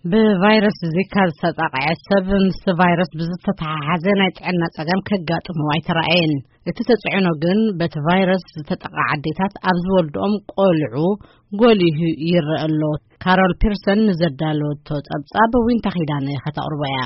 ብቫይረስ ዚካ ዝተጠቕዐ ሰብ ምስ ቫይረስ ብዝተተሓሓዘ ናይ ጥዕና ጸገም ከጋጥሞ ኣይተራእየን። እቲ ተጽዕኖ ግን በቲ ቫይረስ ዝተጠቕዓ ኣዴታት ኣብ ዝወልድኦም ቆልዑ ጎሊሁ ይረአ ኣሎ። ካሮል ፒርሰን ንዘዳለወቶ ጸብጻብ ዊንታ ኺዳነ ከተቕርቦ እያ።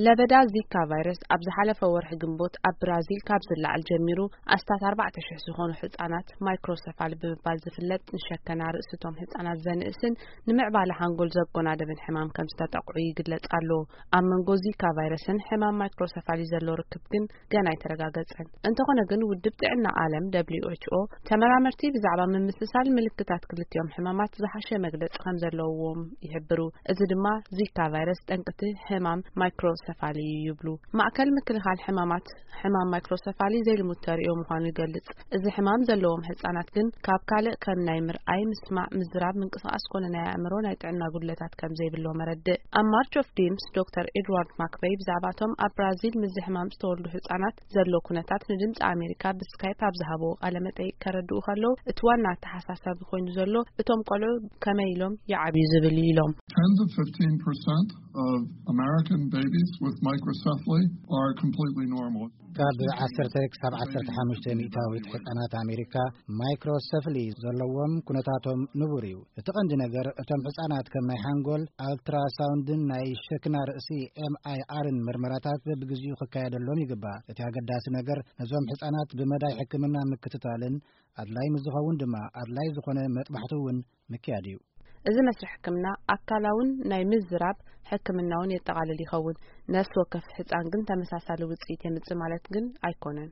ለበዳ ዚካ ቫይረስ ኣብ ዝሓለፈ ወርሒ ግንቦት ኣብ ብራዚል ካብ ዝለዓል ጀሚሩ፣ ኣስታት ኣርባዕተ ሽሕ ዝኾኑ ህጻናት ማይክሮሰፋሊ ብምባል ዝፍለጥ፣ ንሸከና ርእስቶም ህጻናት ዘንእስን ንምዕባለ ሓንጎል ዘጎናደብን ሕማም ከም ዝተጠቕዑ ይግለጽ ኣሎ። ኣብ መንጎ ዚካ ቫይረስን ሕማም ማይክሮሰፋሊ ዘሎ ርክብ ግን ገና ኣይተረጋገጸን። እንተኾነ ግን፣ ውድብ ጥዕና ዓለም ደብሊው ኤች ኦ ተመራመርቲ ብዛዕባ ምምስሳል ምልክታት ክልቲኦም ሕማማት ዝሓሸ መግለጺ ከም ዘለዎም ይሕብሩ። እዚ ድማ ዚካ ቫይረስ ጠንቅቲ ሕማም ማይክሮሰፋሊ እዩ ይብሉ። ማእከል ምክልኻል ሕማማት፣ ሕማም ማይክሮሰፋሊ ዘይልሙድ ተርእዮ ምዃኑ ይገልጽ። እዚ ሕማም ዘለዎም ህጻናት ግን ካብ ካልእ ከም ናይ ምርኣይ፣ ምስማዕ፣ ምዝራብ፣ ምንቅስቓስ ኮነ ናይ ኣእምሮ ናይ ጥዕና ጉድለታት ከም ዘይብሎም ኣረድእ። ኣብ ማርች ኦፍ ዲምስ ዶክተር ኤድዋርድ ማክበይ ብዛዕባቶም ኣብ ብራዚል ምስዚ ሕማም ዝተወልዱ ህጻናት ዘሎ ኩነታት ንድምጺ ኣሜሪካ ብስካይፕ ኣብ ዝሃብዎ ቃለ መጠይቅ ከረድኡ ከለዉ፣ እቲ ዋና ኣተሓሳሳቢ ኮይኑ ዘሎ እቶም ቆልዑ ከመይ ኢሎም ይዓብዩ ዝብል እዩ ኢሎም። Ten to fifteen percent of American babies with microcephaly are completely normal. ካብ ዓሰርተ ክሳብ ዓሰርተ ሓሙሽተ ሚእታዊት ሕጻናት ኣሜሪካ ማይክሮሰፍሊ ዘለዎም ኩነታቶም ንቡር እዩ። እቲ ቀንዲ ነገር፣ እቶም ሕጻናት ከም ናይ ሓንጎል ኣልትራሳውንድን ናይ ሸክና ርእሲ ኤም ኣይ ኣርን ምርመራታት በብግዜኡ ክካየደሎም ይግባእ። እቲ ኣገዳሲ ነገር፣ ነዞም ሕጻናት ብመዳይ ሕክምና ምክትታልን ኣድላይ ምስ ዝኸውን ድማ ኣድላይ ዝኾነ መጥባሕቲ እውን ምክያድ እዩ። እዚ መስርሕ ሕክምና ኣካላውን ናይ ምዝራብ ሕክምናውን የጠቓልል ይኸውን። ነፍሲ ወከፍ ህጻን ግን ተመሳሳሊ ውጽኢት የምጽእ ማለት ግን ኣይኮነን።